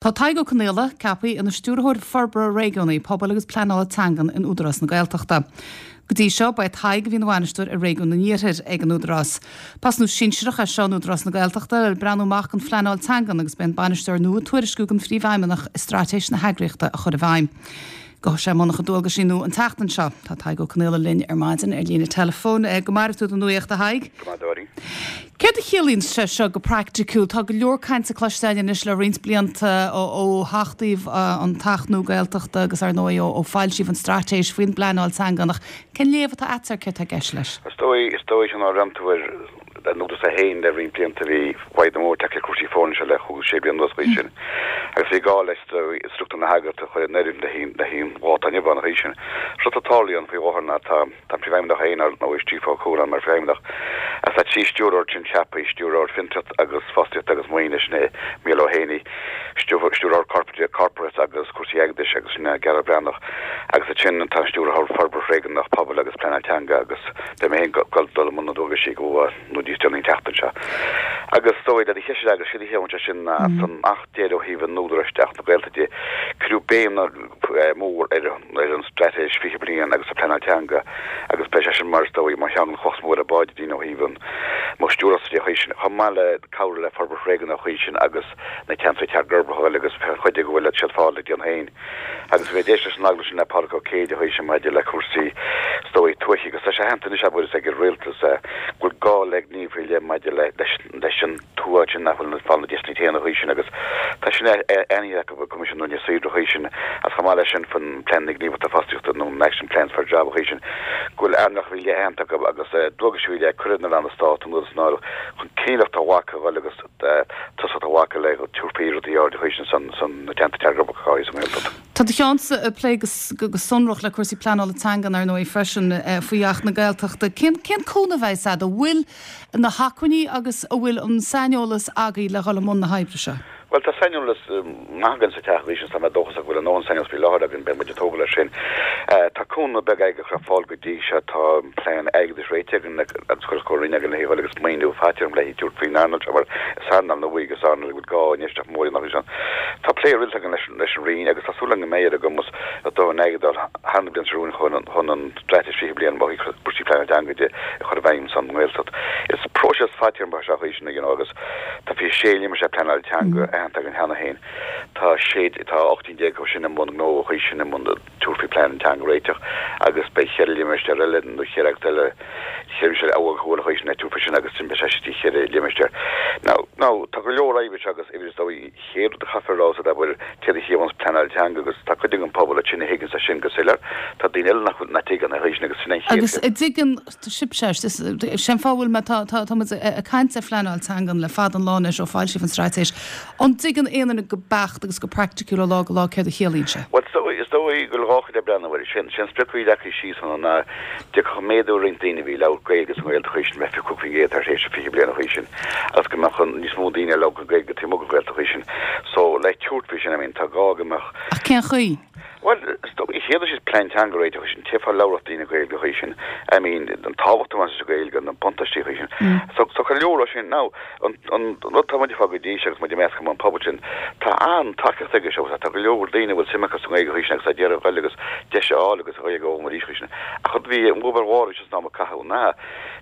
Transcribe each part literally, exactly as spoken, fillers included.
Tá Tadhg Ó Conghaile ceaptha ina stiúrthóir forbartha réigiúnaí pobail agus pleanála teangan in Údarás na Gaeltachta. Go dtí seo ba é Tadhg a bhí ina bhainisteoir ar réigiún an Iarthair ag an Údarás. Post nua sinsearach é seo in Údarás na Gaeltachta le breathnú amach don phleanáil teangan agus beidh an bainisteoir nua ag tuairisciú don phríomhfheidhmeannach i straitéis na heagraíochta a chur i bhfeidhm. Gabhfaidh sé i mbun a chuid dualgaisí nua an tseachtain seo. Tá Tadhg Ó Conghaile linn ar maidin ar líne telefón go mairbh tú don nuaíocht a Thaidhg. Céard a chiallaíonn sé seo go praiticiúil Tá go leor cainte cloiste anois le roinnt blianta ó achtaíodh an tAcht nua Gaeltachta agus ar ndóigh ó foilsíodh an straitéis faoin bpleanáil teangan ach cén léamh atá agat air céard atá i gceist leis. Is dóigh is dóigh sin ranúir nó a haon le roinnt blianta bhí fadhb mór le cúrsaí foirne seo le chúig sé bliana anuas sin agus bhí gá le struchtúr na heagraíochta a chur in oiriúint le haghaidh le haghaidh dháta inniu an sin. Rud atá tarlaithe faoi láthair ná tá tá príomhfheidhmeannach aon nó Steve Ó Cualáin mar phríomhfheidhmeannach as tá trí stiúrthóir sin ceaptha stiúrthóir fiontraíocht agus fostaíocht agus maoine sin é Mícheál Ó Héanaí stiúrthóir corporate corporate agus cúrsaí airgeadais agus sin Gearóid Breathnach agus sin tá stiúrthóir forbartha réigiúnach pobail agus pleanáil teanga agus beidh mé ag dul i mbun na ndualgaisí go nó níos déanaí an tseachtain seo. Agus dóigh le cheise agus si hé sin san Acht deiridh ó thaobh an Údaráis Acht na Gaeltachta cuireadh béim mór ar ar an straitéis fiche bliain agus a pleanáil teanga agus beidh sé sin mar dóigh mar cheann chos mór a báid dín ó thaobh mo stiúras sin chomh maith le cabhrú le forbairt réigiúnach sin agus na ceantair uirbeacha agus chuid go bhfuil siad fáil le déan féin. Agus bhí déis an agallamh sin le Pádraig Ó Céide chuid maidir le cúrsaí dóigh tuaithe agus tá sé aitheanta anois abair ag an rialtas go bhfuil gá le gníomh le maidir le leis an tuath sin nach bhfuil fáil na deiseanna céanna chuid sin agus tá sin aitheanta acu Coimisiún na Saoire chuid sin as chomh maith leis sin fan plean na gníomhartha fostaíochta nó action plans for job chuid sin go bhfuil earnálacha faoi leith aitheanta acu agus dualgais faoi leith curtha ar na ranna stáit an san áireamh chun céimeacht a ghlacadh agus tosacht a ghlacadh le tabharfaí rudaí ard chuid sin san san na ceantair uirbeacha sa nGaeltacht. Tá do cheannsa ag plé go sonrach le cúrsaí pleanála teangan ar ndóigh freisin faoi Acht na Gaeltachta. Cén cén cúnamh a bheidh agat an bhfuil na hacmhainní agus an bhfuil an saineolas agaibh le dhul i mbun na hoibre seo? Well tá saineolas maith againn sa teach leis tá mé dóchasach go bhfuil an saineolas faoi láthair againn beidh muid ag tógáil air sin. Tá cúnamh beag ag chur fáil go dtí seo tá plean airgeadais réitithe againn agus chur chomh againn le haghaidh agus maoiniú faighte le tabhairt faoin earnáil seo mar is earnáil nua agus earnáil go bhfuil gá infheistíocht mór nach sin. Tá plé rialta againn leis leis an Roinn agus tá súil go mbeidh ar a gcumas a dóthain airgid thar na blianta romhainn chun chun an straitéis fiche bliain ó thaobh cúrsaí pleanála teanga de a chur i bhfeidhm san nGaeltacht. Is próiseas fadtéarmach seo chuid sin you know, agus tá fiche sé limistéar pleanála teanga aitheanta againn cheana féin. Tá sé tá ocht déag acu sin i mbun gnó chuid sin i mbun tabhairt faoi plean teanga a réiteach agus beidh ceithre limistéar eile nó ceithre eile ceithre amhail chuil chuid sin tabhairt sin agus sin beidh sé ceithre limistéar. Now now tá go leor oibre agus idir dóigh chéad de chaithfear rá sa bhfuil céad a chiabhans pleanáil teanga agus tá cuid den pobal a sin a thuigeann sin go soiléir tá daoine eile nach nach dtuigeann a sin agus sin an chéad Agus an dtuigeann sibhse sin fáth me tá tá ag caint ar phleanáil teangan le fada an lá anois ó foilsíodh an straitéis. An dtuigeann aon duine go beacht agus go praiticiúil ó lá go lá céard a chiallaíonn sé. Well so is dóigh go dhá chuid breathnú sin sin sprioc leagtha síos an ná de go méadú roinnt daoine bhí labhairt Gaeilge sa nGaeltacht chuid sin fiche cúig faoin gcéad tar éis fiche bliain chuid sin agus go mbeadh níos mó daoine ag labhairt Gaeilge taobh amuigh den Ghaeltacht chuid sin. So le tabhairt faoi sin I mean tá gá go mbeadh Ach cén chaoi? Well is chéad is plean teanga a réiteach sin tífá labhairt daoine Gaeilge chuid sin I mean an tábhacht a sa Ghaeilge na buntáistí chuid sin. So so go leor sin now an an rud tá muid fá go dtí agus muid measc an pobal sin tá an tacaíocht aige seo tá go leor daoine bhfuil suim acu sa Ghaeilge chuid sin agus a deireadh Gaeilge agus deis a fháil agus a Ghaeilge ó mar chuid sin. Ach chud bhí an obair mhór is ná caitheamh ná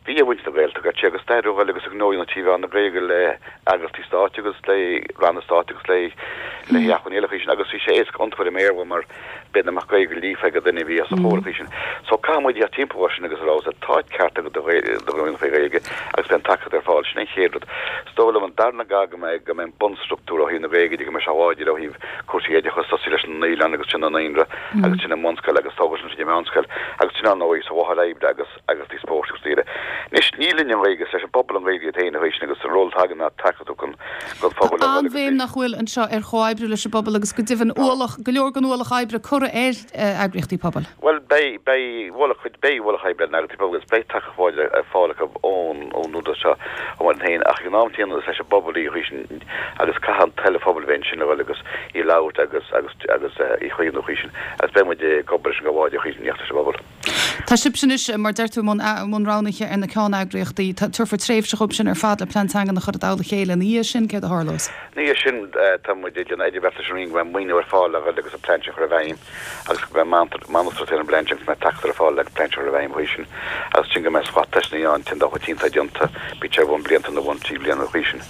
bhí a bhaint na Gaeltachta sé agus stair Ghaeilge agus gnó na T V na Gaeilge le eagraíochtaí stáit agus le ranna stáit agus le le hacmhainní eile chuid sin agus bhí sé éasca iompar i mBéarla mar b'fhéidir nach Gaeilge líofa ag duine bhí as a chóir chuid sin. So caithfidh muid iad timpeall sin agus rá tá ceart agat do dhaoine faoi Ghaeilge agus beidh an tacaíocht ar fáil sin an chéad rud. Is dóigh liom an darna gá go mbeidh go mbeidh bunstruchtúr ó thaobh na Gaeilge de go mbeidh sé láidir ó thaobh cúrsaí oideachais tosaí leis an naíolann agus sin an naíonra agus sin an mbunscoil agus tógáil sin an meánscoil agus sin ar ndóigh sa mháthair oibre agus agus tí spóirt agus daoine. Anois ní linn an Ghaeilge leis an bpobal an Ghaeilge iad féin a chuid sin agus an ról atá againn ná tacaíocht chun don phobal a An bhéim nach bhfuil anseo ar chomhoibriú leis an bpobal agus go deimhin ualach go leor den ualach oibre curtha ar eagraíochtaí pobail. Well beidh beidh ualach chuid beidh ualach oibre na eagraíochtaí pobail agus beidh tacaíocht ar fáil acu ón ón údarás seo ó mar féin ach ag an am céanna is leis an bpobal í chuid sin agus caithfidh an toil an phobail bheith ansin le dhul agus í labhairt agus agus agus í chaomhnú chuid sin agus beidh muid ag obair leis an gcomhbháide chuid sin leis an bpobal. Tá sibh anois mar deir tú i mbun roghnaithe ar na ceanneagraíochtaí, tabharfar tréimhse dhóibh sin ar fad le plean teangan a chur i dtoll a chéile ina dhiaidh sin, céard céard a tharlós? Ní sin tá muid ag déanamh idirbheart leis an Roinn go mbeidh maoiniú ar fáil le agus an plean seo a chur i bhfeidhm agus go mbeidh manuscript ar an bplean sin agus go mbeidh tacaíocht ar fáil le plean seo a chur i bhfeidhm chuige sin agus sin go mbeidh slat teisteanna ann den dá chuid iontach déanta bíonn sé bhun blianta nó bhun trí bliana chuige sin.